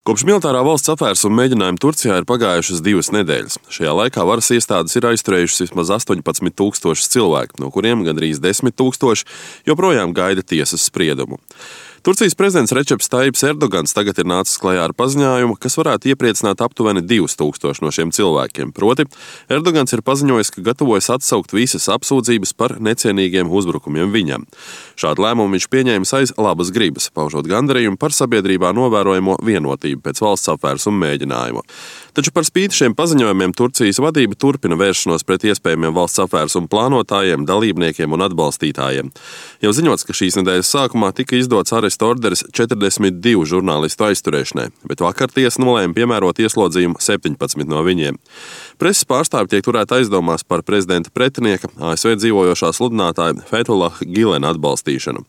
Kopš militārā valsts apvērsuma mēģinājuma Turcijā ir pagājušas 2 nedēļas. Šajā laikā varas iestādes ir aizturējušas vismaz 18,000 cilvēku, no kuriem gandrīz 10,000 joprojām gaida tiesas spriedumu. Turcijas prezidents Rečeps Tajjips Erdogans tagad ir nācis klajā ar paziņojumu, kas varētu iepriecināt aptuveni 2,000 no šiem cilvēkiem. Proti, Erdogans ir paziņojis, ka gatavojas atsaukt visas apsūdzības par necienīgiem uzbrukumiem viņam. Šādu lēmumu viņš pieņēmis aiz labas gribas, paužot gandarījumu par sabiedrībā novērojamo vienotību pēc valsts apvērsuma mēģinājuma. Taču par spīti šiem paziņojumiem Turcijas vadība turpina vēršanos pret iespējamiem valsts apvērsuma plānotājiem, dalībniekiem un atbalstītājiem. Jau ziņots, ka šīs nedēļas sākumā tika izdots arestu orderis 42 žurnālistu aizturēšanai, bet vakar tiesa nolēma piemērot ieslodzījumu 17 no viņiem. Preses pārstāvji tiek turēti aizdomās par prezidenta pretinieka, ASV dzīvojošā sludinātāja Fethullah Gilena atbalstīšanu.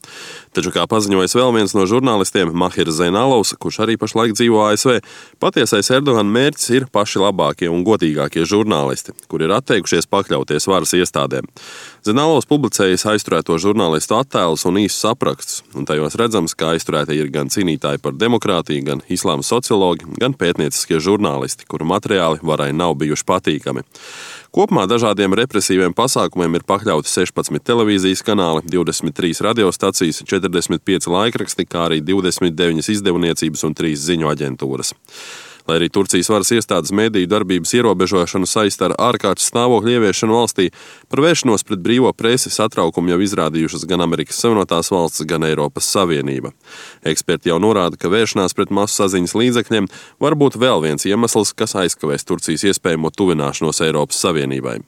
Taču, kā paziņojis vēl viens no žurnālistiem, Mahirs Zeinalovs, kurš arī pašlaik dzīvo ASV, patiesais Erdogana mērķis ir paši labākie un godīgākie žurnālisti, kuri ir atteikušies pakļauties varas iestādēm. Zeinalovs publicējis aizturēto žurnālistu attēlus un īsus aprakstus, un tajos redzams, ka aizturētie ir gan cīnītāji par demokrātiju, gan islāma sociologi, gan pētnieciskie žurnālisti, kuru materiāli varai nav bijuši patīkami. Kopumā dažādiem represīviem pasākumiem ir pakļauti 16 televīzijas kanāli, 23 radiostacijas, 45 laikraksti, kā arī 29 izdevniecības un 3 ziņu aģentūras. Lai arī Turcijas varas iestādes mediju darbības ierobežošanu saista ar ārkārtas stāvokļa ieviešanu valstī, par vēršanos pret brīvo presi satraukumu jau izrādījušas gan Amerikas Savienotās valstis, gan Eiropas Savienība. Eksperti jau norāda, ka vēršanās pret masu saziņas līdzekļiem var būt vēl viens iemesls, kas aizkavēs Turcijas iespējamo tuvināšanos Eiropas Savienībai.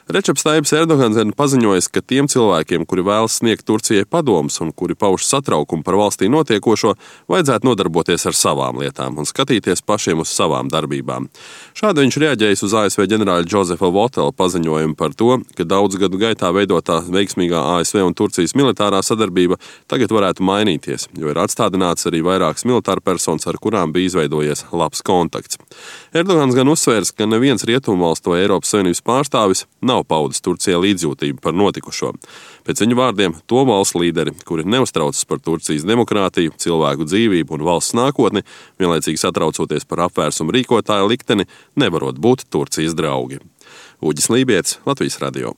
Rečeps Tajjips Erdogans ir paziņojis, ka tiem cilvēkiem, kuri vēlas sniegt Turcijai padomus un kuri pauž satraukumu par valstī notiekošo, vajadzētu nodarboties ar savām lietām un skatīties pašiem uz savām darbībām. Šādi viņš reaģējis uz ASV ģenerāļa Džozefa Votela paziņojumu par to, ka daudzu gadu gaitā veidotā veiksmīgā ASV un Turcijas militārā sadarbība tagad varētu mainīties, jo ir atstādināts arī vairākas militārpersonas, ar kurām bija izveidojies labs kontakts. Erdogans gan uzsvērs, ka neviens Rietumvalstu vai Eiropas Savienības pārstāvis nav paudis Turcijai līdzjūtību par notikušo. Pēc viņu vārdiem, to valstu līderi, kuri neuztraucas par Turcijas demokrātiju, cilvēku dzīvību un valsts nākotni, vienlaicīgi satraucoties par apvērsumu rīkotāja likteni, nevarot būt Turcijas draugi. Uģis Lībietis, Latvijas radio.